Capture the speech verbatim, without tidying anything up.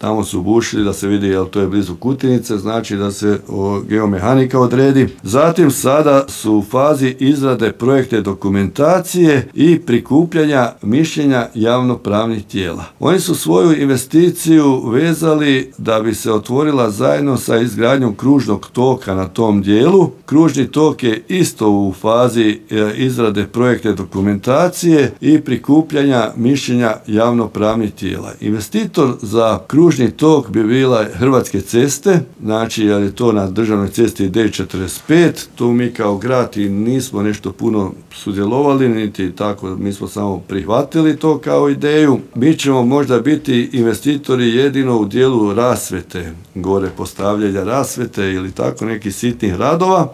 Tamo su bušili da se vidi, jel to je blizu Kutinice, znači da se o, geomehanika odredi. Zatim sada su u fazi izrade projekte dokumentacije i prikupljanja mišljenja javnopravnih tijela. Oni su svoju investiciju vezali da bi se otvorila zajedno sa izgradnjom kružnog toka na tom dijelu. Kružni tok je isto u fazi e, izrade projekte dokumentacije i prikupljanja mišljenja javnopravnih tijela. Investitor za kružni tok bi bila Hrvatske ceste, znači jer je to na državnoj cesti D četrdeset pet, tu mi kao grad i nismo nešto puno sudjelovali, niti tako, mi smo samo prihvatili to kao ideju. Mi ćemo možda biti investitori jedino u dijelu rasvete, gore postavljanja rasvete ili tako nekih sitnih radova,